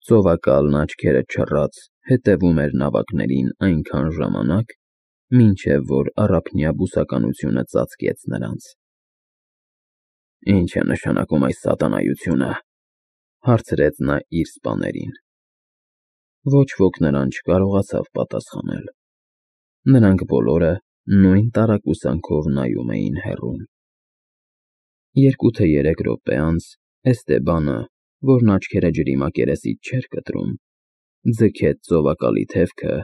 Ծովակալն աչքերը չռած հետևում էր նավակներին այնքան ժամանակ, մինչև որ առափնյա բուսականությունը ծածկեց նրանց։ «Ի՞նչ է նշանակում այս սատանայությունը», հարցրեց նա իր սպաներին։ Ոչ ոք նրան չկարողացավ պատասխանել։ Նրանք բոլորը նույն տարակուսանքով նայում էին հեռուն։ 2 թե 3 րոպե անց Էստեբանը, որն աչքերը ջրի մակերեսից չէր կտրում, ձգեց ծովակալի թևքը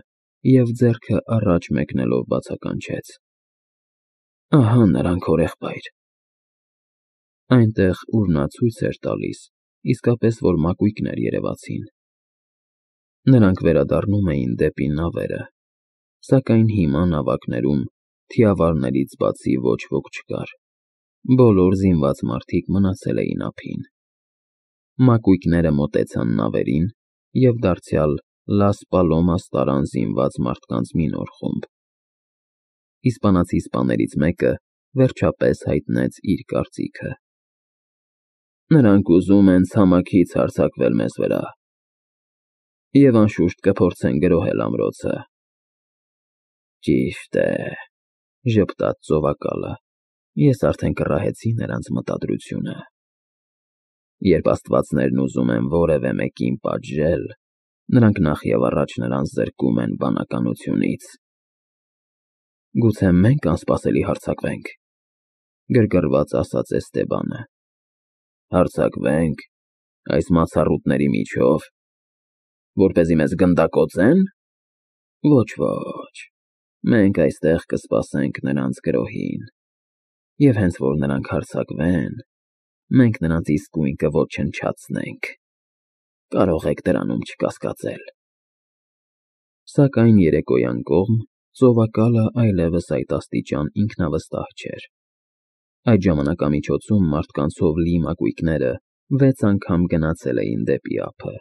և ձեռքը առաջ մեկնելով բացականչեց. «Ահա նրանք, հորեղբայր»։ Այնտեղ, ուր նա ցույց էր տալիս, իսկապես որ մակույկներ երևացին։ Նրանք վերադառնում էին դեպի նավերը, սակայն հիմա նավակներում թիավարներից բացի ոչ ոք չկար։ Բոլոր զինված մարդիկ մնացել էին ափին։ Մակույկները մոտեցան նավերին և դարձյալ Լաս Պալոմաս տարան զինված մարդկանց մի նոր խումբ։ Իսպանացի սպաներից մեկը վերջապես հայտնեց իր կարծիքը. «Նրանք ուզում են ցամաքից հարձակվել մեզ վրա և անշուշտ կփորձեն գրոհել ամրոցը»։ «Ճիշտ է,» ժպտաց ծովակալը, «ես արդեն կռահեցի նրանց մտադրությունը։ Երբ աստվածներն ուզում են որևէ մեկին պատժել, նրանք նախևառաջ նրան զրկում են բանականությունից»։ «Գուցե մենք անսպասելի հարձակվենք,֊ գրգռված ասաց Էստեբանը։ «Հարձակվե՞նք, այս մացառուտների միջով, որպեսզի մեզ գնդակոծե՞ն։ Ոչ, մենք այստեղ կսպասենք նրանց գրոհին, և հենց որ նրանք հարձակվեն, մենք նրանց իսկույն կոչնչացնենք։ Կարող եք դրանում չկասկածել»։ Սակայն երեկոյան կողմ ծովակալը այլևս այդ աստիճան ինքնավստահ չէր։ Այդ ժամանակամիջոցում մարդկանցով լի մակույկները 6 անգամ գնացել էին դեպի ափը,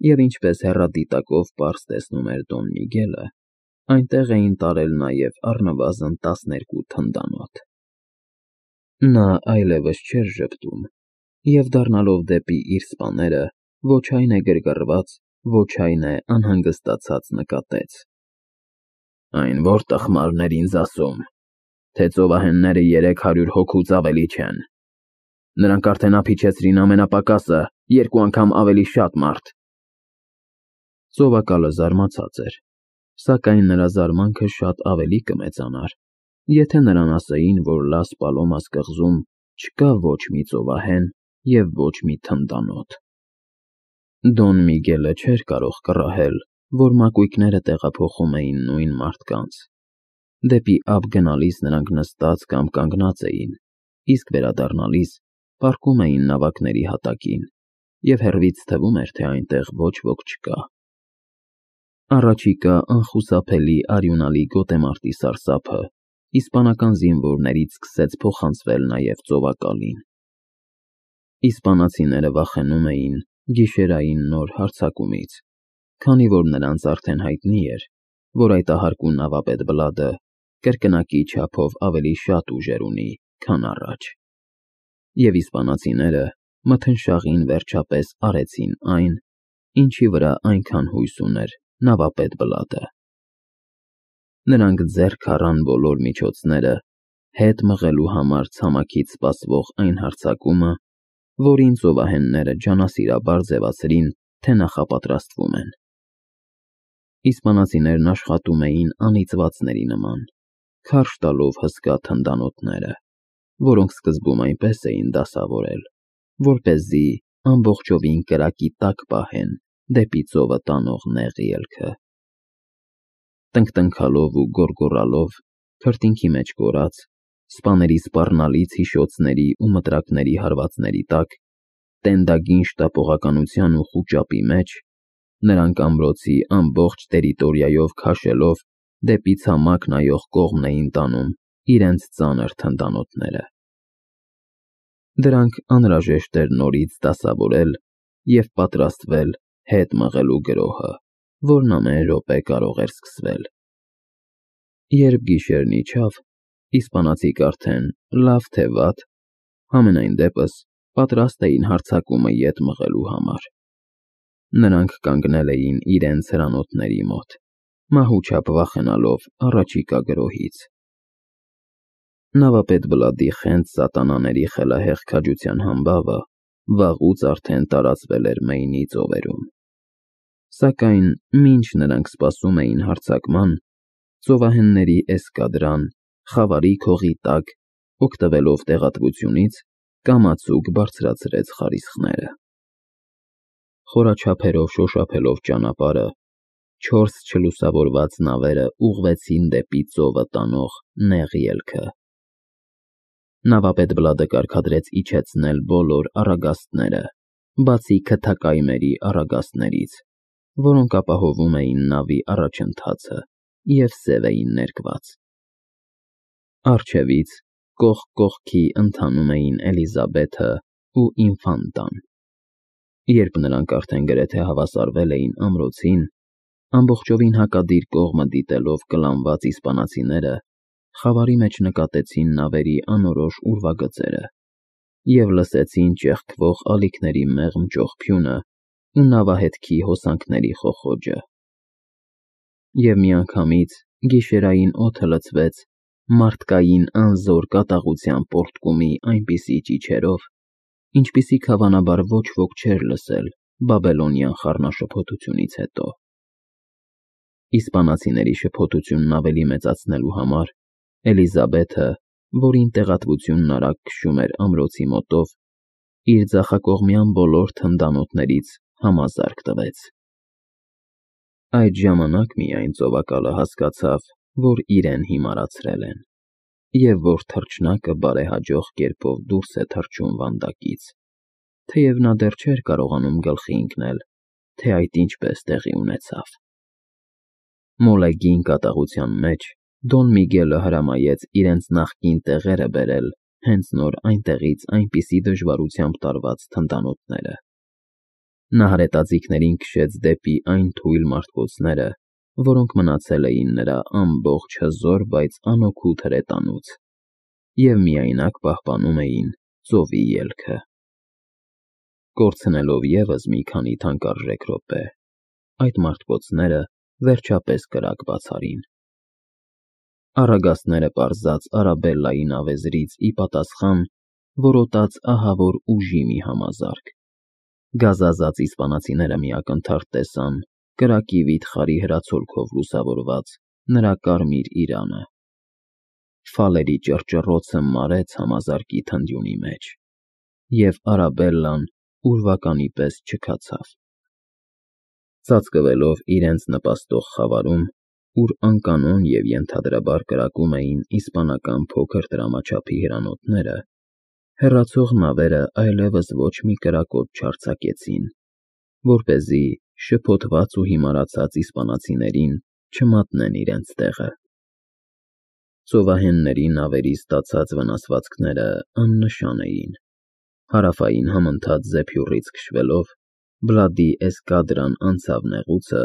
և ինչպես հեռադիտակով պարզ տեսնում էր Դոն Միգելը, այնտեղ էին տարել նաև առնվազն 12 թնդանոթ։ Նա այլևս չէր ժպտում և, դառնալով դեպի իր սպաները, ոչ այն է գրգռված, ոչ այն է անհանգստացած նկատեց. «Այն ո՞ր տխմարն էր ինձ ասում, թե ծովահենները 300 հոգուց ավելի չեն։ Նրանք արդեն ափիչեցրին ամենապակասը 2 անգամ ավելի շատ մարդ»։ Ծովակալը զարմացած էր, սակայն նրա զարմանքը շատ ավելի կմեծանար, եթե նրան ասեին, որ Լաս Պալոմաս կղզում չկա ոչ մի ծովահեն և ոչ մի թնդանոթ։ Դոն Միգելը չէր կարող կռահել, որ մակույկները տեղափոխում էին նույն մարդկանց։ Դեպի ափ գնալիս նրանք նստած կամ կանգնած էին, իսկ վերադառնալիս պառկում էին նավակների հատակին, և հեռվից թվում էր, թե այնտեղ ոչ ոք չկա։ Առաջիկա անխուսափելի արյունալի գոտեմարտի սարսափը իսպանական զինվորներից սկսեց փոխանցվել նաև ծովակալին։ Իսպանացիները վախենում էին գիշերային նոր հարձակումից, քանի որ նրանց արդեն հայտնի էր, որ այդ ահարկու նավապետ Բլադը կրկնակի չափով ավելի շատ ուժեր ունի, քան առաջ։ Եվ իսպանացիները մթնշաղին վերջապես արեցին այն, ինչի վրա այնքան հույս ուներ նավապետ Բլադը։ Նրանք ձեռք առան բոլոր միջոցները հետ մղելու համար ցամաքից սպասվող այն հարձակումը, որին ծովահենները ջանասիրաբար ձևացրին, թե նախապատրաստվում են։ Իսպանացիներն աշխատում էին անիծվածների նման, քարշ տալով հսկա թնդանոթները, որոնք սկզբում այնպես էին դասավորել, որպեսզի ամբողջովին կրակի տակ պահեն դեպի ծովը տանող նեղ ելքը։ Տնկտնքալով ու գոռգոռալով, քրտինքի մեջ կորած, սպաների սպառնալից հիշոցների ու մտրակների հարվածների տակ, տենդագին շտապողականության ու խուճապի մեջ, նրանք ամրոցի ամբողջ տերիտորիայով քաշելով դեպի ցամաք նայող կողմն էին տանում իրենց ծանր թնդանոթները։ Դրանք անհրաժեշտ էր նորից դասավորել և պատրաստվել հետ մղելու գրոհը, որն ամեն րոպե կարող էր սկսվել։ Երբ գիշերն իջավ, իսպանացիք արդեն լավ թե վատ, համենայն դեպս պատրաստ էին հարձակումը ետ մղելու համար։ Նրանք կանգնել էին իրենց հրանոթների մոտ, մահուչապ վախենալով առաջիկա գրոհից։ Նավապետ Բլադի խենթ սատանաների խելահեղ քաջության համբավը վաղուց արդեն տարածվել էր Մեյնի ծովերում։ Սակայն մինչ նրանք սպասում էին հարձակման, ծովահենների էսկադրան խավարի քողի տակ, օգտվելով տեղատվությունից, կամացուկ բարձրացրեց խարիսխները։ Խորաչափերով շոշափելով ճանապարհը, 4 չլուսավորված նավերը ուղղվեցին դեպի ծովը տանող նեղ ելքը։ Նավապետ Բլադը կարգադրեց իջեցնել բոլոր առագաստները, բացի քթակայմերի առագաստներից, որոնք ապահովում էին նավի առաջընթացը և սև էին ներկված։ Առջևից կողք կողքի ընթանում էին Էլիզաբեթը ու Ինֆանտան։ Երբ նրանք արդեն գրեթե հավասարվել էին ամրոցին, ամբողջովին հակադիր կողմը դիտելով կլանված իսպանացիները խավարի մեջ նկատեցին նավերի անորոշ ուրվագծերը և լսեցին ճեղքվող ալիքների մեղմ ճողփյունը ու նավահետքի հոսանքների խոխոջը։ Եվ միանգամից գիշերային օդը լցվեց մարդկային անզոր կատաղության պոռթկումի այնպիսի ճիչերով, ինչպիսիք հավանաբար ոչ ոք չէր լսել բաբելոնյան խառնաշփոթությունից հետո։ Իսպանացիների շփոթությունն ավելի մեծացնելու համար Էլիզաբեթը, որին տեղատվությունն արագ քշում էր ամրոցի մոտով, իր ձախակողմյան բոլոր թնդանոթներից համազարկ տվեց։ Այդ ժամանակ միայն ծովակալը հասկացավ, որ իրեն հիմարացրել են, և որ թռչնակը բարեհաջող կերպով դուրս է թռչում վանդակից, թեև նա դեռ չէր կարողանում գլխի ընկնել, թե այդ ինչպես տեղի ունեցավ։ Մոլեգին կատաղության մեջ Դոն Միգելը հրամայեց իրենց նախկին տեղերը բերել հենց նոր այնտեղից այնպիսի դժվարությամբ տարված թնդանոթները։ Նա հրետաձիգներին քշեց դեպի այն թույլ մարդկոցները, որոնք մնացել էին նրա ամբողջ հզոր, բայց անօգուտ հրետանուց, և միայնակ պահպանում էին ծովի ելքը։ Կորցնելով ևս մի քանի թանկարժեք րոպե, այդ մարդկոցները վերջապես կրակ բացարին։ Առագաստները պարզած Արաբելլայի նավեզրից ի պատասխան որոտաց ահավոր ուժի մի համազարկ։ Գազազած իսպանացիները մի ակնթարթ տեսան կրակի վիթխարի հրացոլքով լուսավորված նրա կարմիր իրանը։ Ֆալերի ճռճռոցը մարեց համազարկի թնդյունի մեջ, և Արաբելլան ուրվականի պես չքացավ։ Ծածկվելով իրենց նպաստող խավարում, ուր անկանոն և ենթադրաբար կրակում էին իսպանական փոքր տրամաչափի հրանոթները, հեռացող նավերը այլևս ոչ մի կրակոտ չարձակեցին, որպեսզի շփոթված ու հիմարացած իսպանացիներին չմատնեն իրենց տեղը։ Ծովահենների նավերից ստացած վնասվածքները աննշան էին։ Հարավային համընթաց զեփյուռից քշվելով, Բլադի էսկադրան անցավ նեղուցը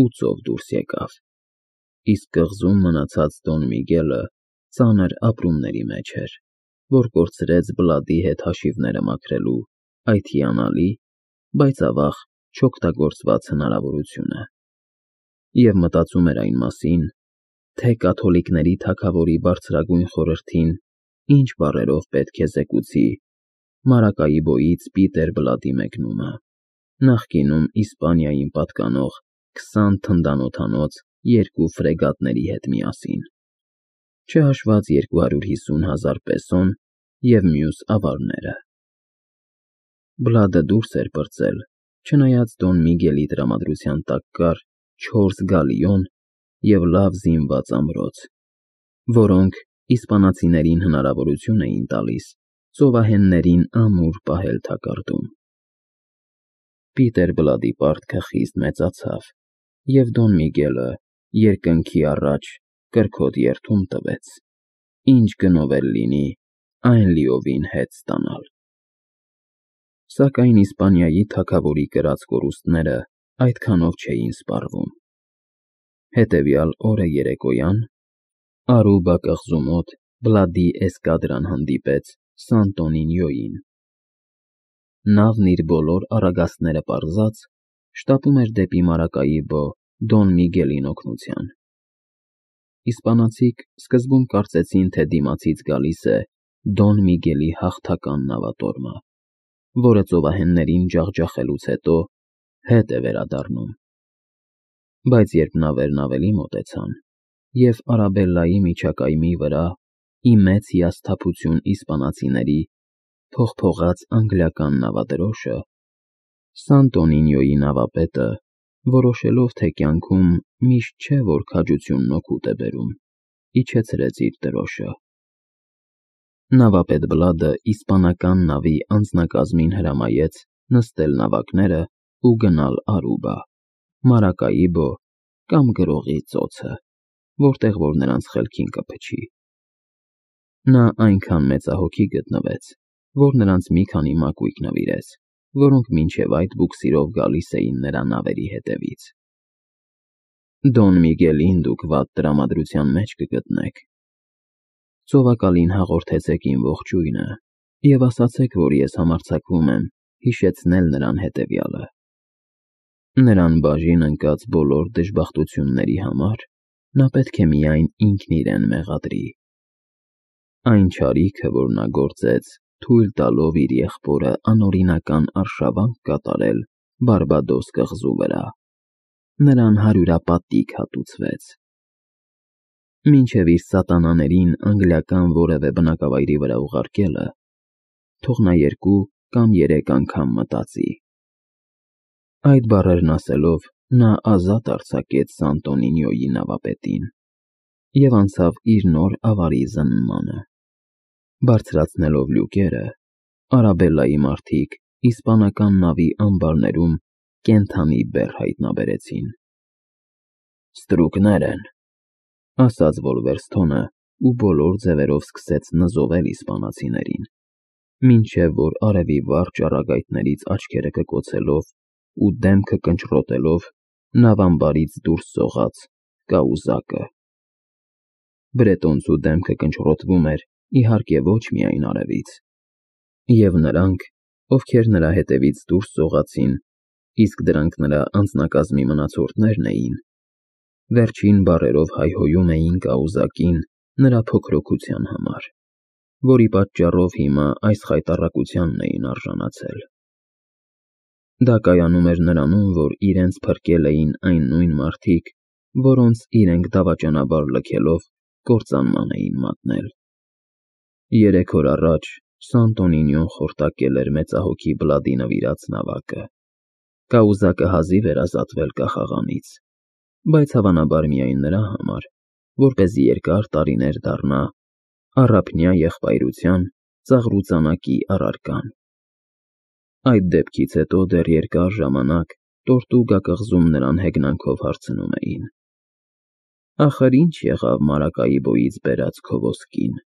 ու ծով դուրս եկավ, իսկ կղզում մնացած Դոն Միգելը ծանր ապրումների մեջ էր, որ կորցրեց Բլադի հետ հաշիվները մաքրելու այդ հիանալի, բայց ավաղ չօգտագործված հնարավորությունը, և մտածում էր այն մասին, թե կաթոլիկների թագավորի բարձրագույն խորհրդին ինչ բառերով պետք է զեկուցի Մարակայիբոյից Պիտեր Բլադի մեկնումը, նախկինում Իսպանիային պատկանող 20 թնդանոթանոց 2 ֆրեգատների հետ միասին, չհաշված 250,000 պեսոն և մյուս ավարները։ Բլադը դուրս էր պրծել, չնայած Դոն Միգելի տրամադրության տակ կար 4 գալիոն և լավ զինված ամրոց, որոնք իսպանացիներին հնարավորություն էին տալիս ծովահեններին ամուր պահել թակարդում։ Պիտեր Բլադի պարտքը խիստ մեծացավ, և Դոն Միգելը երկնքի առաջ կրքոտ երդում տվեց. ինչ գնով էլ լինի, այն լիովին հետ ստանալ։ Սակայն Իսպանիայի թագավորի կրած կորուստները այդքանով չէին սպառվում։ Հետևյալ օրը երեկոյան Արուբա կղզու մոտ Բլադի էսկադրան հանդիպեց Սանտոնինիոյին։ Նավն իր բոլոր առագաստները պարզած շտապում էր դեպի Մարակայիբո Դոն Միգելին օգնության։ Իսպանացիք սկզբում կարծեցին, թե դիմացից գալիս է Դոն Միգելի հաղթական նավատորմը, որը ծովահեններին ջախջախելուց հետո հետ է վերադառնում։ Բայց երբ նավերն ավելի մոտեցան, և Արաբելլայի միջակայմի վրա, ի մեծ հիասթափություն իսպանացիների, փողփողաց անգլիական նավադրոշը, Սանտոնինիոյի նավապետը, որոշելով, թե կյանքում միշտ չէ, որ քաջությունն օգուտ է բերում, իջեցրեց իր դրոշը։ Նավապետ Բլադը իսպանական նավի անձնակազմին հրամայեց նստել նավակները ու գնալ Արուբա, Մարակայիբո կամ գրողի ծոցը, որտեղ որ նրանց խելքին կփչի։ Նա այնքան մեծահոգի գտնվեց, որ նրանց մի քանի մակույկ նվիրեց, որոնք մինչև այդ բուքսիրով գալիս էին նրա նավերի հետևից։ Դոն Միգելին դուք վատ տրամադրության մեջ կգտնեք։ Ծովակալին հաղորդեցեք իմ ողջույնը և ասացեք, որ ես համարձակվում եմ հիշեցնել նրան հետևյալը. նրան բաժին ընկած բոլոր դժբախտությունների համար նա պետք է միայն ինքն իրեն մեղադրի։ Այն չարիքը, որ նա գործեց, թույլ տալով իր եղբորը անօրինական արշավանք կատարել Բարբադոս կղզու վրա, նրան հարյուրապատիկ հատուցվեց։ Մինչև իր սատանաներին անգլիական որևէ բնակավայրի վրա ուղարկելը, թող նա 2 կամ 3 անգամ մտածի։ Այդ բառերն ասելով, նա ազատ արձակեց Սանտոնինիոյի նավապետին և անցավ իր նոր ավարի զննմանը։ Բարձրացնելով լյուկերը, Արաբելլայի մարդիկ իսպանական նավի ամբարներում կենդանի բեռ հայտնաբերեցին։ «Ստրուկներ են», ասաց Վոլվերսթոնը ու բոլոր ձևերով սկսեց նզովել իսպանացիներին, մինչև որ արևի վառ ճառագայթներից աչքերը կկոցելով ու դեմքը կնճռոտելով նավամբարից դուրս սողաց կաուզակը։ Բրետոնցու դեմքը կնճռոտվում էր, իհարկե, ոչ միայն արևից, և նրանք, ովքեր նրա հետևից դուրս սողացին, իսկ դրանք նրա անձնակազմի մնացորդներն էին, վերջին բառերով հայհոյում էին կաուզակին նրա փոքրոգության համար, որի պատճառով հիմա այս խայտառակությանն էին արժանացել։ Դա կայանում էր նրանում, որ իրենց փրկել էին այն նույն մարդիկ, որոնց իրենք դավաճանաբար լքելով կործանման էին մատնել։ 3 օր առաջ Սանտոնինիոն խորտակել էր մեծահոգի Բլադի նվիրած նավակը։ Կաուզակը հազիվ էր ազատվել կախաղանից, բայց հավանաբար միայն նրա համար, որպեսզի երկար տարիներ դառնա առափնյա եղբայրության ծաղրուծանակի առարկան։ Այդ դեպքից հետո դեռ երկար ժամանակ Տորտուգա կղզում նրան հեգնանքով հարցնում էին. «Ախր ինչ եղավ Մարակայիբոյից բերած քո ոսկին»։